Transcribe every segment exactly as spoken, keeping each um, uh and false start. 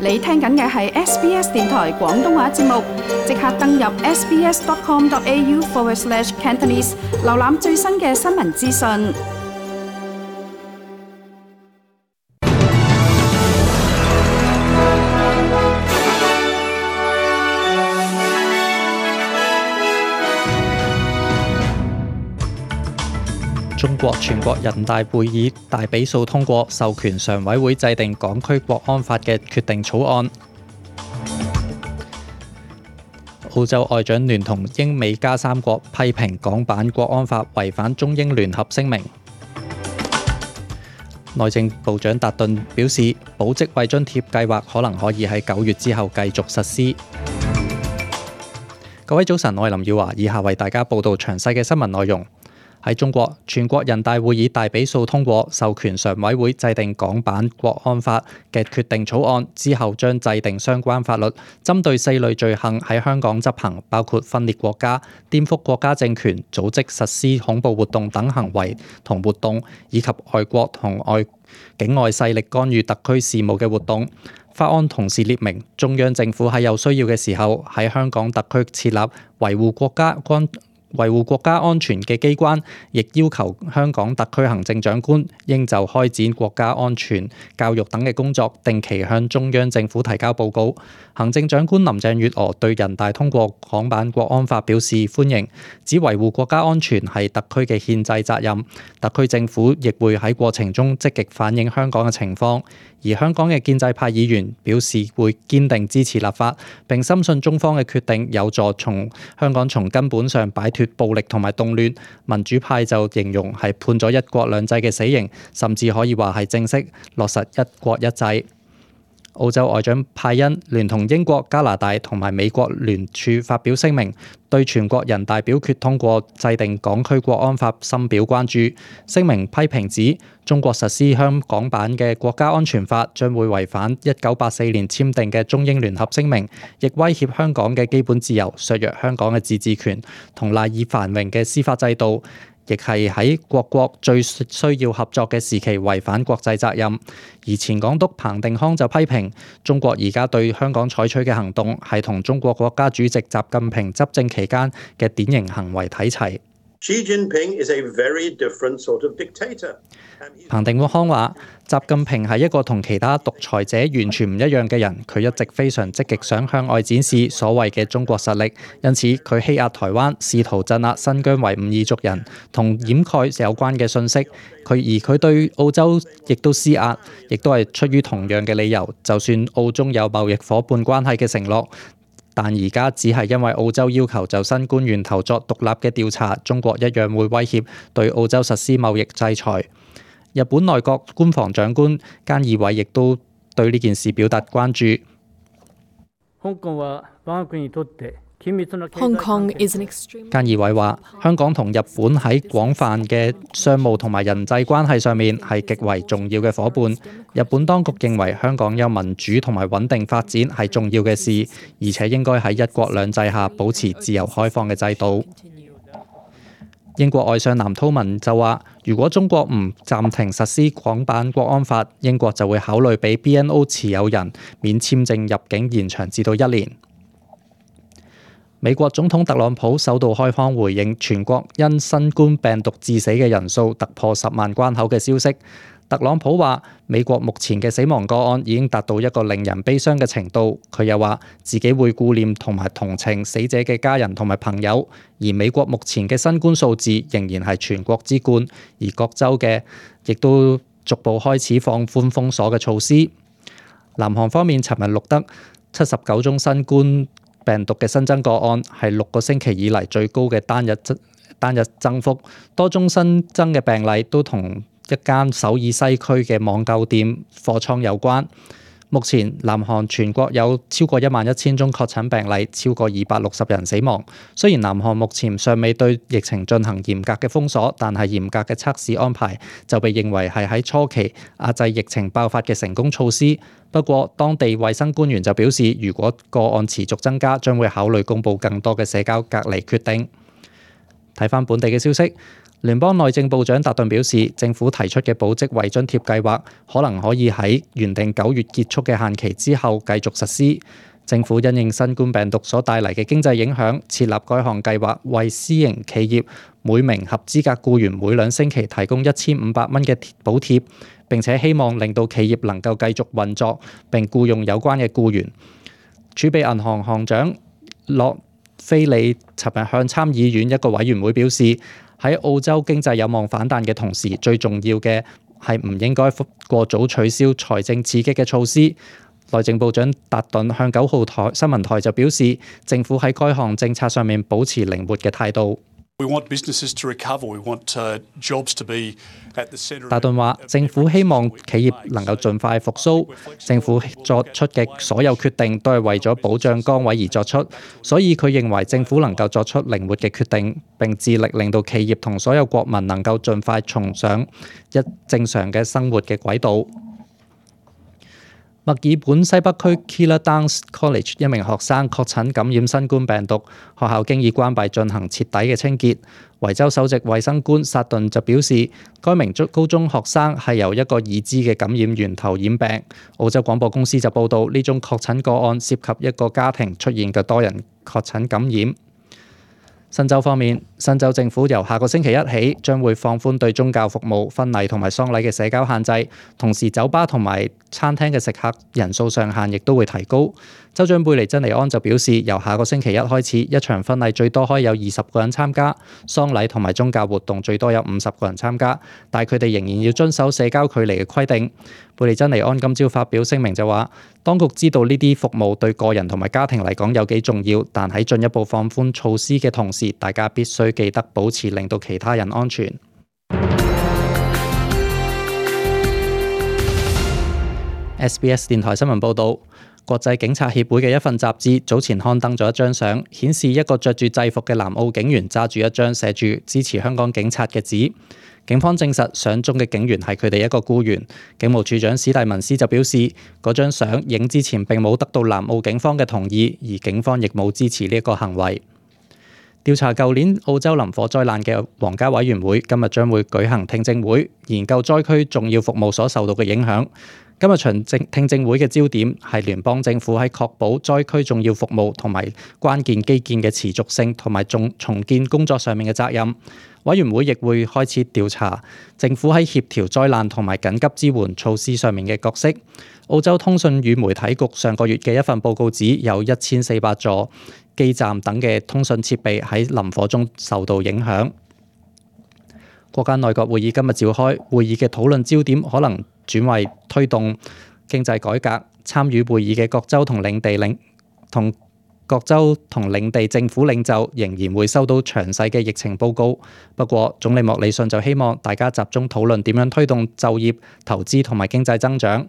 你聽緊嘅係 S B S 電台廣東話節目，即刻登入 sbs.com.au forward slash Cantonese， 瀏覽最新嘅新聞資訊。中國全國人大會議大比數通過授權常委會制定港區國安法嘅決定草案。澳洲外長聯同英美加三國批評港版國安法違反中英聯合聲明。內政部長達頓表示，保職位津貼計劃可能可以喺九月之後繼續實施。各位早晨，我係林耀華，以下為大家報道詳細嘅新聞內容。喺中國，全國人大會議大比數通過授權常委會制定港版國安法嘅決定草案，之後將制定相關法律，針對四類罪行喺香港執行，包括分裂國家、顛覆國家政權、組織實施恐怖活動等行為同活動，以及外國同外境外勢力干預特區事務嘅活動。法案同時列明，中央政府喺有需要嘅時候喺香港特區設立維護國家安維護國家安全嘅機關，亦要求香港特區行政長官應就開展國家安全教育等嘅工作，定期向中央政府提交報告。行政長官林鄭月娥對人大通過港版國安法表示歡迎，指維護國家安全係特區嘅憲制責任，特區政府亦會喺過程中積極反映香港嘅情況。而香港嘅建制派議員表示會堅定支持立法，並深信中方嘅決定有助從香港從根本上擺脫暴力同埋動亂。民主派就形容係判咗一國兩制嘅死刑，甚至可以話係正式落實一國一制。澳洲外長派恩聯同英國、加拿大同埋美國聯署發表聲明，對全國人大表決通過制定港區國安法深表關注。聲明批評指，中國實施香港版嘅國家安全法將會違反一九八四年簽訂嘅中英聯合聲明，亦威脅香港嘅基本自由，削弱香港嘅自治權同賴以繁榮嘅司法制度，亦係喺各國最需要合作嘅時期違反國際責任。而前港督彭定康就批評中國而家對香港採取嘅行動係同中國國家主席習近平執政期間嘅典型行為睇齊。Xi Jinping is a very different sort of dictator. 彭定康話：習近平係一個同其他獨裁者完全唔一樣嘅人，佢一直非常積極想向外展示所謂嘅中國實力，因此佢欺壓台灣，試圖鎮壓新疆維吾爾族人，同掩蓋有關嘅信息。佢而佢對澳洲亦都施壓，亦都係出於同樣嘅理由。就算澳中有貿易夥伴關係嘅承諾，但而家只係因為澳洲要求就新冠源頭作獨立嘅調查，中國一樣會威脅對澳洲實施貿易制裁。日本內閣官房長官菅義偉亦都對呢件事表達關注。Hong Kong is an extreme... 菅義偉話：香港同日本喺廣泛嘅商務同埋人際關係上面係極為重要嘅夥伴。日本當局認為香港有民主同埋穩定發展係重要嘅事，而且應該喺一國兩制下保持自由開放嘅制度。英國外相藍韜文就話：如果中國唔暫停實施港版國安法，英國就會考慮俾 B N O 持有人免簽證入境延長至到一年。美國總統特朗普首度開腔回應全國因新冠病毒致死嘅人數突破十萬關口嘅消息。特朗普話：美國目前嘅死亡個案已經達到一個令人悲傷嘅程度。佢又話自己會顧念同埋同情死者嘅家人同埋朋友。而美國目前嘅新冠數字仍然係全國之冠，而各州嘅亦都逐步開始放寬封鎖嘅措施。南韓方面，尋日錄得七十九宗新冠病毒嘅新增個案，係六個星期以嚟最高嘅單日單日增幅。多宗新增嘅病例都同一間首爾西區嘅網購店貨倉有關。目前南韓全國有超過一萬一千宗確診病例，超過二百六十人死亡。雖然南韓目前尚未對疫情進行嚴格嘅封鎖，但係嚴格嘅測試安排就被認為係喺初期壓制疫情爆發嘅成功措施。不過當地衛生官員就表示，如果個案持續增加，將會考慮公布更多嘅社交隔離決定。睇返本地嘅消息。聯邦內政部長達頓表示，政府提出嘅保職位津貼計劃可能可以喺原定九月結束嘅限期之後繼續實施。政府因應新冠病毒所帶嚟嘅經濟影響，設立該項計劃，為私營企業每名合資格僱員每兩星期提供一千五百蚊嘅補貼，並且希望令到企業能夠繼續運作並僱用有關嘅僱員。儲備銀行行長洛菲利尋日向參議院一個委員會表示，喺澳洲經濟有望反彈嘅同時，最重要嘅係唔應該過早取消財政刺激嘅措施。內政部長達頓向九號台新聞台就表示，政府喺該項政策上面保持靈活嘅態度。達頓話：政府希望企業能夠盡快復甦，政府作出嘅所有決定都係為咗保障崗位而作出，所以佢認為政府能夠作出靈活嘅決定，並致力令到企業同所有國民能夠盡快重上一正常嘅生活嘅軌道。墨爾本西北區 Keilor Downs College 一名學生確診感染新冠病毒，學校經已關閉進行徹底嘅清潔。維州首席衛生官薩頓就表示，該名高中學生係由一個已知嘅感染源頭染病。澳洲廣播公司就報道，呢宗確診個案涉及一個家庭出現嘅多人確診感染。新州方面，新州政府由下個星期一起將會放寬對宗教服務、婚禮同埋喪禮嘅社交限制，同時酒吧同埋餐廳嘅食客人數上限亦都會提高。州長貝尼珍尼安就表示，由下個星期一開始，一場婚禮最多可以有二十個人參加，喪禮同埋宗教活動最多有五十個人參加，但係佢哋仍然要遵守社交距離嘅規定。貝尼珍尼安今朝發表聲明就話，當局知道呢啲服務對個人同埋家庭嚟講有幾重要，但喺進一步放寬措施嘅同時，大家必須記得保持令到其他人安全。S B S 電台新聞報導，國際警察協會嘅一份雜誌早前刊登咗一張相，顯示一個着住制服嘅南澳警員揸住一張寫住支持香港警察嘅紙。警方證實相中嘅警員係佢哋一個僱員。警務處長史蒂文斯就表示，嗰張相影之前並冇得到南澳警方嘅同意，而警方亦冇支持呢一個行為。調查舊年澳洲林火災難嘅皇家委員會今日將會舉行聽證會，研究災區重要服務所受到嘅影響。今日場聽證會嘅焦點係聯邦政府喺確保災區重要服務同埋關鍵基建嘅持續性同埋重重建工作上面嘅責任。委員會亦會開始調查政府喺協調災難同埋緊急支援措施上面嘅角色。澳洲通訊與媒體局上個月嘅一份報告指，有一千四百座基站等嘅通訊設備喺林火中受到影響。國家內閣會議今日召開，會議嘅討論焦點可能轉為推動經濟改革。參與會議嘅各州同領地領同各州同領地政府領袖仍然會收到詳細嘅疫情報告。不過，總理莫里遜就希望大家集中討論點樣推動就業、投資同埋經濟增長。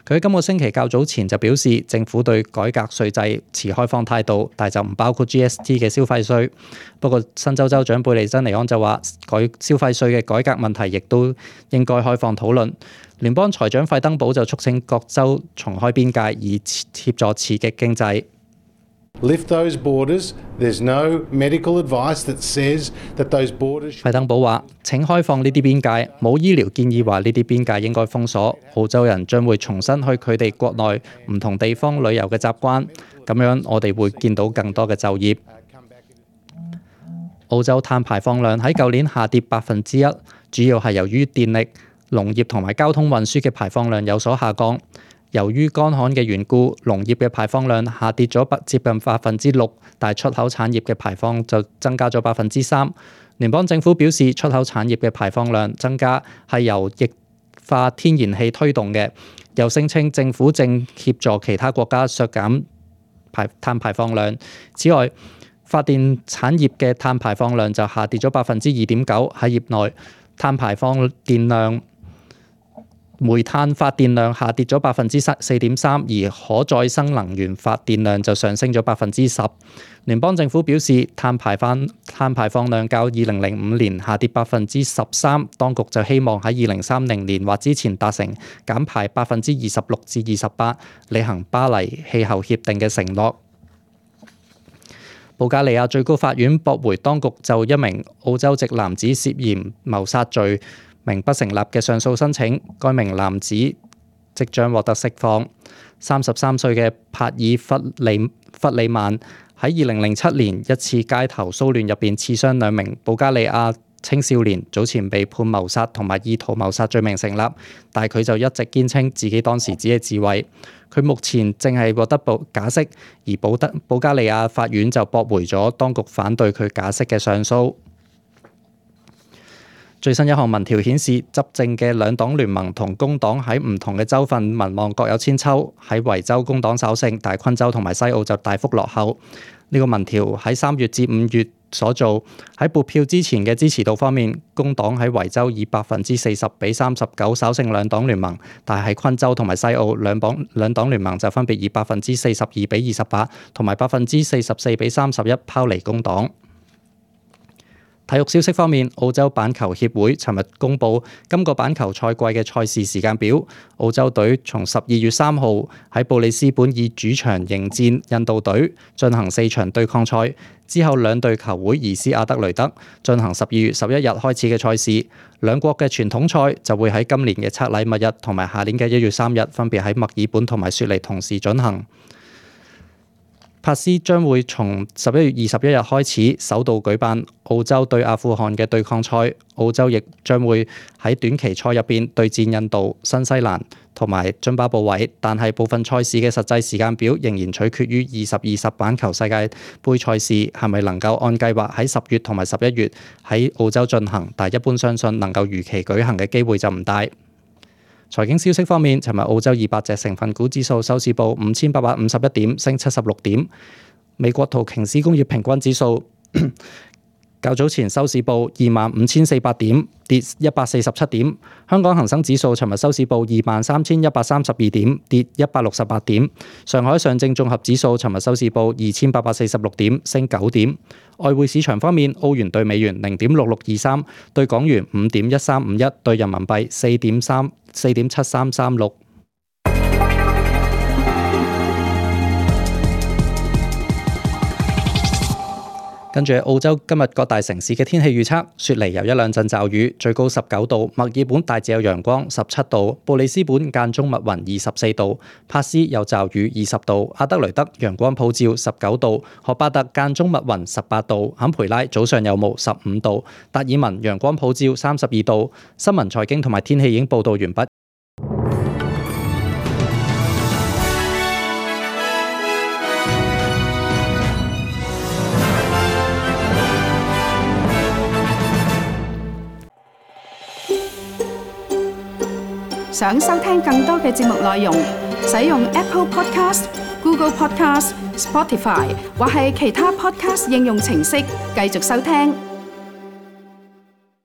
佢喺今個星期較早前就表示，政府對改革稅制持開放態度，但就唔包括 G S T 嘅消費稅。不過，新州州長貝利珍尼安就話，改消費稅嘅改革問題亦都應該開放討論。聯邦財長費登堡就促請各州重開邊界，以協助刺激經濟。Lift those borders. There's no medical advice that says that those borders. 費登堡話：請開放呢啲邊界，冇醫療建議話呢啲邊界應該封鎖。澳洲人將會重新去佢哋國內唔同地方旅遊嘅習慣，咁樣我哋會見到更多嘅就業。澳洲碳排放量喺舊年下跌百分之一，主要係由於電力、農業同埋交通運輸嘅排放量有所下降。由於乾旱嘅緣故，農業嘅排放量下跌咗接近百分之六，但係出口產業嘅排放就增加咗百分之三。聯邦政府表示，出口產業嘅排放量增加係由液化天然氣推動嘅，又聲稱政府正協助其他國家削減排碳排放量。此外，發電產業嘅碳排放量就下跌咗百分之二點九，喺業內碳排放電量。煤炭發電量下跌咗百分之四點三，而可再生能源發電量就上升咗百分之十。聯邦政府表示，碳排放碳排放量較二零零五年下跌百分之十三，當局就希望喺二零三零年或之前達成減排百分之二十六至二十八，履行巴黎氣候協定嘅承諾。保加利亞最高法院駁回當局就一名澳洲籍男子涉嫌謀殺罪名不成立嘅上訴申請，該名男子即將獲得釋放。三十三歲嘅帕爾弗里弗里曼喺二零零七年一次街頭騷亂入邊刺傷兩名保加利亞青少年，早前被判謀殺同埋意圖謀殺罪名成立，但係佢就一直堅稱自己當時只係自衛。佢目前正係獲得保假釋，而保德保加利亞法院就駁回咗當局反對佢假釋嘅上訴。最新一項民調顯示，執政嘅兩黨聯盟同工黨喺唔同嘅州份民望各有千秋。喺維州工黨稍勝，但係昆州同埋西澳就大幅落後。呢、這個民調喺三月至五月所做，喺撥票之前嘅支持度方面，工黨喺維州以百分之四十比三十九稍勝兩黨聯盟，但係喺昆州同埋西澳兩黨兩黨聯盟就分別以百分之四十二比二十八同埋百分之四十四比三十一拋離工黨。體育消息方面，澳洲板球協會尋日公布今個板球賽季嘅賽事時間表。澳洲隊從十二月三號喺布里斯本以主場迎戰印度隊，進行四場對抗賽。之後兩隊球會移師阿德雷德，進行十二月十一日開始嘅賽事。兩國嘅傳統賽就會喺今年嘅拆禮物日同埋下年嘅一月三日，分別喺墨爾本同埋雪梨同時進行。帕斯將會從十一月二十一日開始首度舉辦澳洲對阿富汗嘅對抗賽，澳洲亦將會喺短期賽入邊對戰印度、新西蘭同埋津巴布韋，但係部分賽事嘅實際時間表仍然取決於二十二十板球世界盃賽事係咪能夠按計劃喺十月同埋十一月喺澳洲進行，但係一般相信能夠如期舉行嘅機會就唔大。財經消息方面，尋日澳洲二百隻成分股指數收市報五千八百五十一點，升七十六點。美國道瓊斯工業平均指數較早前收市報二萬五千四百點，跌一百四十七點。香港恒生指數尋日收市報二萬三千一百三十二點，跌一百六十八點。上海上證綜合指數尋日收市報二千八百四十六點，升九點。外匯市場方面，澳元對美元零點六六二三，對港元五點一三五一，對人民幣四點三四點七三三六。跟住澳洲今日各大城市嘅天氣預測：雪梨有一兩陣驟雨，最高十九度；墨爾本大致有陽光，十七度；布里斯本間中密雲，二十四度；帕斯有驟雨，二十度；阿德雷德陽光普照，十九度；荷巴特間中密雲，十八度；坎培拉早上有霧，十五度；達爾文陽光普照，三十二度。新聞財經同埋天氣已經報道完畢。想收聽更多嘅節目內容，使用 Apple Podcast、Google Podcast、Spotify 或係其他 Podcast 應用程式繼續收聽。